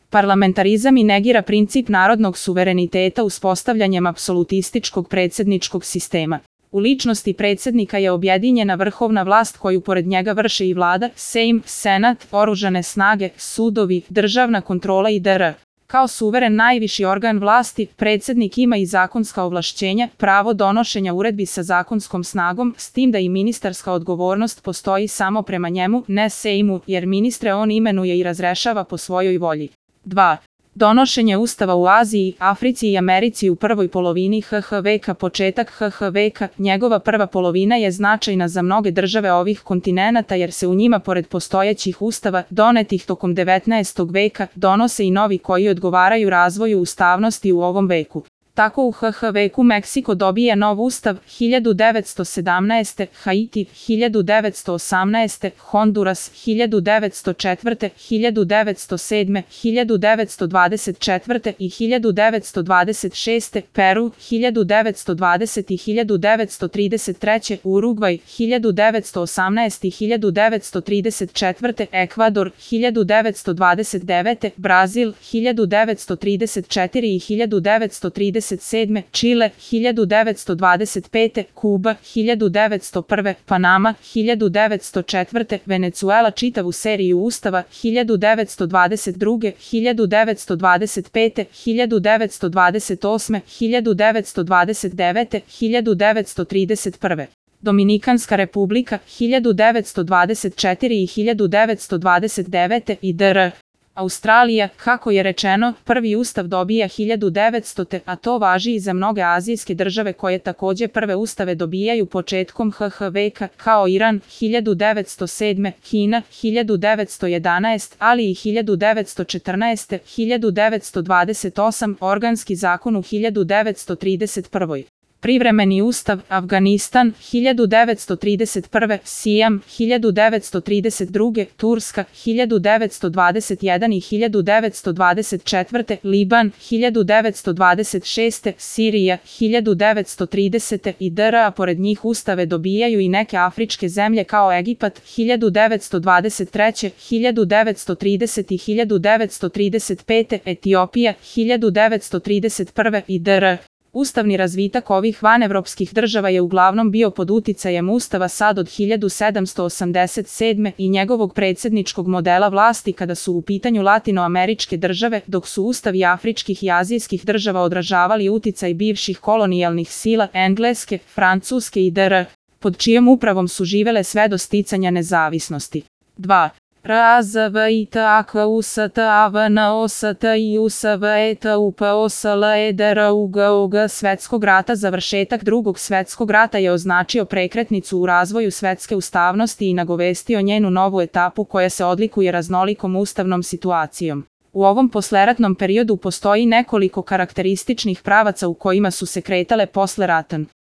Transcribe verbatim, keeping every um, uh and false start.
Parlamentarizam i negira princip narodnog suvereniteta uspostavljanjem apsolutističkog predsjedničkog sistema. U ličnosti predsjednika je objedinjena vrhovna vlast koju pored njega vrše i vlada, Sejm, Senat, oružane snage, sudovi, državna kontrola i dr. Kao suveren najviši organ vlasti, predsjednik ima i zakonska ovlašćenja, pravo donošenja uredbi sa zakonskom snagom, s tim da i ministarska odgovornost postoji samo prema njemu, ne Sejmu, jer ministre on imenuje i razrešava po svojoj volji. dva. Donošenje ustava u Aziji, Africi i Americi u prvoj polovini H H veka. Početak H H veka, njegova prva polovina je značajna za mnoge države ovih kontinenata jer se u njima pored postojećih ustava, donetih tokom devetnaestog veka, donose i novi koji odgovaraju razvoju ustavnosti u ovom veku. Tako u H H veku Meksiko dobija nov ustav hiljadu devetsto sedamnaeste. Haiti hiljadu devetsto osamnaeste. Honduras hiljadu devetsto četvrte. hiljadu devetsto sedme. hiljadu devetsto dvadeset četvrte. i hiljadu devetsto dvadeset šeste. Peru hiljadu devetsto dvadesete. i hiljadu devetsto trideset treće. Urugvaj hiljadu devetsto osamnaeste. i hiljadu devetsto trideset četvrte. Ekvador hiljadu devetsto dvadeset devete. Brazil hiljadu devetsto trideset četvrte. i hiljadu devetsto trideset sedme. Čile hiljadu devetsto dvadeset pete. Kuba hiljadu devetsto prve. Panama hiljadu devetsto četvrte. Venecuela čitavu seriju ustava hiljadu devetsto dvadeset druge. hiljadu devetsto dvadeset pete. hiljadu devetsto dvadeset osme. hiljadu devetsto dvadeset devete. hiljadu devetsto trideset prve. Dominikanska republika hiljadu devetsto dvadeset četvrte. i hiljadu devetsto dvadeset devete. i dr. Australija, kako je rečeno, prvi ustav dobija hiljadu devetstote. a to važi i za mnoge azijske države koje također prve ustave dobijaju početkom H H veka, kao Iran hiljadu devetsto sedme, Kina hiljadu devetsto jedanaeste, ali i hiljadu devetsto četrnaeste. hiljadu devetsto dvadeset osme. Organski zakon u hiljadu devetsto trideset prve. Privremeni ustav, Afganistan hiljadu devetsto trideset prve. Sijam hiljadu devetsto trideset druge. Turska hiljadu devetsto dvadeset jedan. i hiljadu devetsto dvadeset četvrte. Liban hiljadu devetsto dvadeset šeste. Sirija hiljadu devetsto tridesete. i dr. a pored njih ustave dobijaju i neke afričke zemlje kao Egipat hiljadu devetsto dvadeset treće. hiljadu devetsto tridesete. i hiljadu devetsto trideset pete. Etiopija hiljadu devetsto trideset prve. i dr. Ustavni razvitak ovih vanevropskih država je uglavnom bio pod uticajem ustava sad od hiljadu sedamsto osamdeset sedme. i njegovog predsjedničkog modela vlasti kada su u pitanju latinoameričke države, dok su ustavi afričkih i azijskih država odražavali uticaj bivših kolonijalnih sila Engleske, Francuske i dr. pod čijom upravom su živele sve do sticanja nezavisnosti. dva. R A Z V I T A K U S T A V N O S T I U S V E T U P O S L E D R U G O G Svetskog rata. Završetak drugog svjetskog rata je označio prekretnicu u razvoju svetske ustavnosti i nagovestio njenu novu etapu koja se odlikuje raznolikom ustavnom situacijom. U ovom posleratnom periodu postoji nekoliko karakterističnih pravaca u kojima su se kretale posle rata.